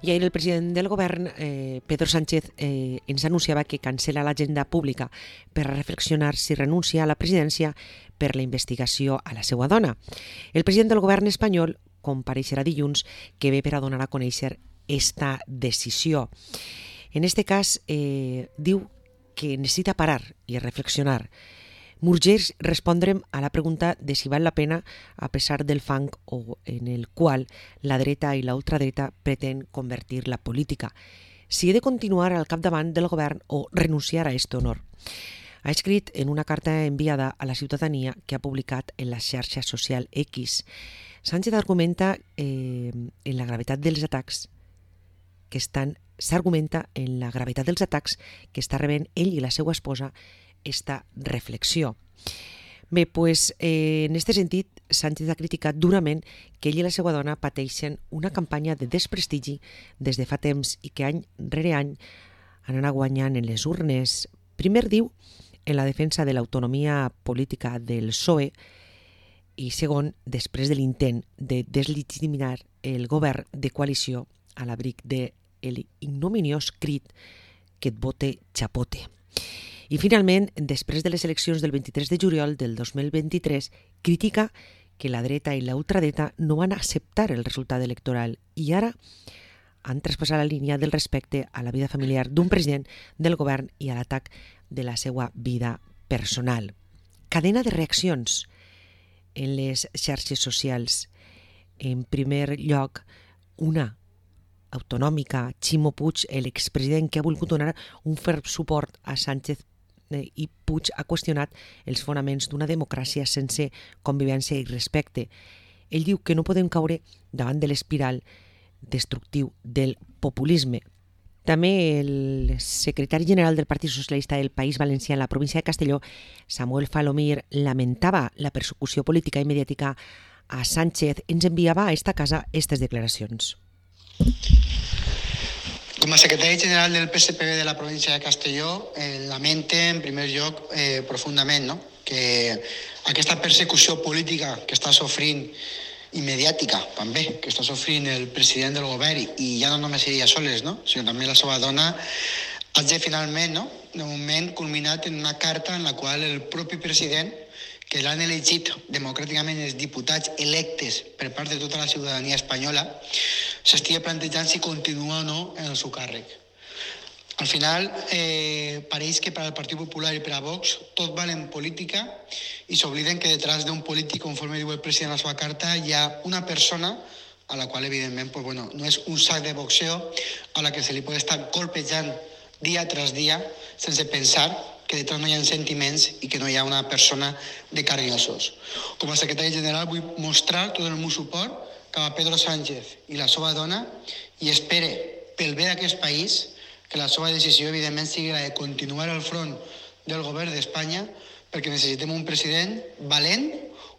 I ahir el president del govern, Pedro Sánchez, ens anunciava que cancela l'agenda pública per reflexionar si renuncia a la presidència per la investigació a la seva dona. El president del govern espanyol compareixerà dilluns, que ve per a donar a conèixer esta decisió. En este cas, diu que necessita parar i reflexionar. M'urgeix respondre'm a la pregunta de si val la pena a pesar del fang en el qual la dreta i la ultradreta pretén convertir la política. Si he de continuar al capdavant del govern o renunciar a aquest honor. Ha escrit en una carta enviada a la ciutadania que ha publicat en la xarxa social X. Sánchez argumenta en la gravetat dels atacs que s'argumenta en la gravetat dels atacs que està rebent ell i la seva esposa esta reflexió. Bé, doncs, en aquest sentit, Sánchez ha criticat durament que ell i la seva dona pateixen una campanya de desprestigi des de fa temps i que any rere any han anat guanyant en les urnes. Primer diu en la defensa de l'autonomia política del PSOE i segon, després de l'intent de deslegitimar el govern de coalició a l'abric de l'ignominiós crit que et vote chapote. I finalment, després de les eleccions del 23 de juliol del 2023, critica que la dreta i la ultradreta no van acceptar el resultat electoral i ara han traspassat la línia del respecte a la vida familiar d'un president del govern i a l'atac de la seva vida personal. Cadena de reaccions en les xarxes socials. En primer lloc, una autonòmica, Ximo Puig, l'expresident que ha volgut donar un ferm suport a Sánchez i Puig ha qüestionat els fonaments d'una democràcia sense convivència i respecte. Ell diu que no podem caure davant de l'espiral destructiu del populisme. També el secretari general del Partit Socialista del País Valencià en la província de Castelló, Samuel Falomir, lamentava la persecució política i mediàtica a Sánchez. Ens enviava a esta casa aquestes declaracions. Com a secretari general del PSPV de la província de Castelló, lamente en primer lloc profundament que aquesta persecució política que està sofrint i mediàtica també, que està sofrint el president del govern i ja no només ella soles, sinó també la seva dona, hagi finalment, de moment, culminat en una carta en la qual el propi president, que l'han elegit democràticament els diputats electes per part de tota la ciutadania espanyola, s'estigui plantejant si continua o no en el seu càrrec. Al final, pareix que per al Partit Popular i per a Vox tot val en política i s'obliden que detrás d'un polític, conforme diu el president a la seva carta, hi ha una persona a la qual, evidentment, no és un sac de boxeo a la que se li pot estar colpejant dia tras dia sense pensar que detrás no hi ha sentiments i que no hi ha una persona de carn i ossos. Com a secretari general vull mostrar tot el meu suport cap a Pedro Sánchez i la seva dona i espere, pel bé d'aquest país, que la seva decisió, evidentment, sigui la de continuar al front del govern d'Espanya perquè necessitem un president valent,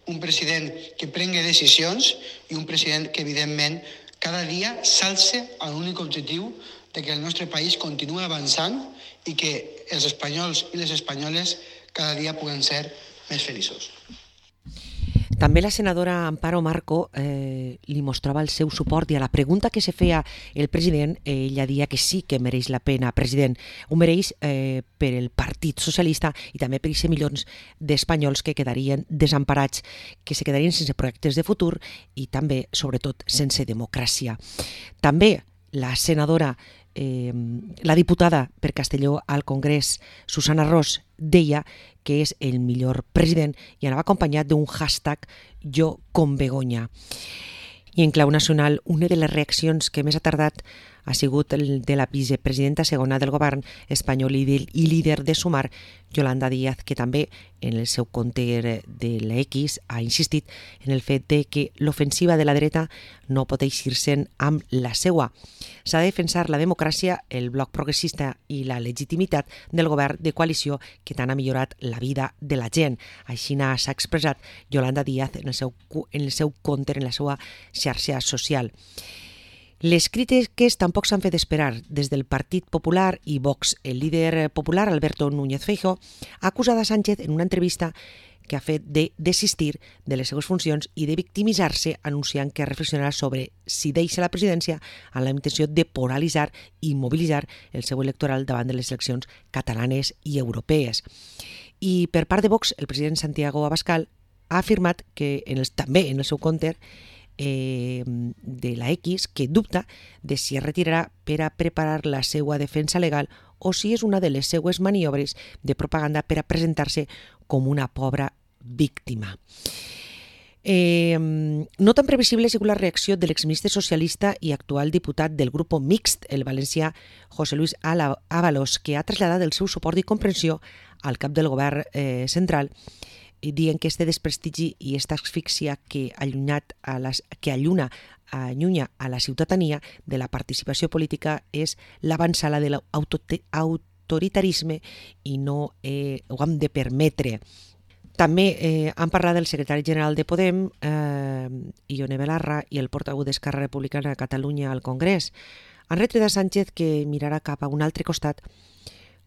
un president que prengui decisions i un president que, evidentment, cada dia s'alce a l'únic objectiu de que el nostre país continua avançant i que els espanyols i les espanyoles cada dia puguen ser més feliços. També la senadora Amparo Marco li mostrava el seu suport i a la pregunta que se feia el president, ella deia que sí que mereix la pena, president. Ho mereix per el Partit Socialista i també per aquests milions d'espanyols que quedarien desemparats, que se quedarien sense projectes de futur i també, sobretot, sense democràcia. També la senadora, la diputada per Castelló al Congrés, Susana Ros, deia que és el millor president i anava acompanyat d'un hashtag Jo con Begoña. I en clau nacional, una de les reaccions que més ha tardat ha sigut el de la vicepresidenta segona del govern espanyol i líder de Sumar, Yolanda Díaz, que també en el seu compte de l'X ha insistit en el fet de que l'ofensiva de la dreta no pot eixir-se'n amb la seua. S'ha de defensar la democràcia, el bloc progressista i la legitimitat del govern de coalició que tant ha millorat la vida de la gent. Així s'ha expressat Yolanda Díaz en el seu compte, en la seva xarxa social. Les crítiques tampoc s'han fet esperar. Des del Partit Popular i Vox, el líder popular, Alberto Núñez Feijóo, ha acusat a Sánchez en una entrevista que ha fet de desistir de les seues funcions i de victimitzar-se, anunciant que reflexionarà sobre si deixa la presidència amb la intenció de polaritzar i mobilitzar el seu electoral davant de les eleccions catalanes i europees. I per part de Vox, el president Santiago Abascal ha afirmat que també en el seu compte de la X, que dubta de si es retirarà per a preparar la seva defensa legal o si és una de les seues maniobres de propaganda per a presentar-se com una pobra víctima. No tan previsible ha sigut la reacció de l'exministre socialista i actual diputat del grup mixt, el valencià José Luis Ábalos, que ha traslladat el seu suport i comprensió al cap del govern central, dient que este desprestigi i esta asfíxia que allunya a la ciutadania de la participació política és l'avançada de l'autoritarisme i no ho hem de permetre. També han parlat del secretari general de Podem, Ione Belarra, i el portaveu d'Esquerra Republicana a Catalunya al Congrés. Han retret a Sánchez que mirarà cap a un altre costat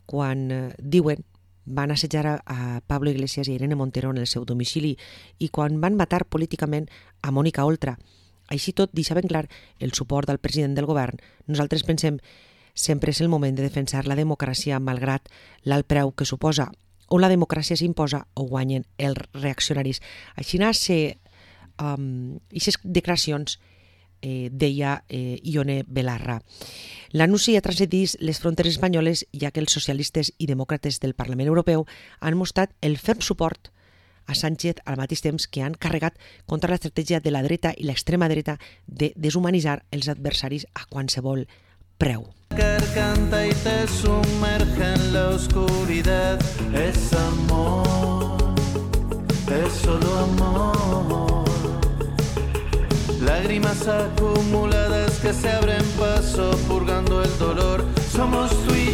quan diuen van assetjar a Pablo Iglesias i Irene Montero en el seu domicili i quan van matar políticament a Mònica Oltra. Així tot, deixa ben clar el suport del president del govern. Nosaltres pensem sempre és el moment de defensar la democràcia malgrat l'alt preu que suposa. O la democràcia s'imposa o guanyen els reaccionaris. Així aquestes declaracions deia Ione Belarra. L'anunci ha transcendit les fronteres espanyoles, ja que els socialistes i demòcrates del Parlament Europeu han mostrat el ferm suport a Sánchez al mateix temps que han carregat contra l'estratègia de la dreta i l'extrema dreta de deshumanitzar els adversaris a qualsevol preu. Canta y te sumerge en la oscuridad. Es amor, es solo amor. Lágrimas acumuladas que se abren paso purgando el dolor. Somos tú y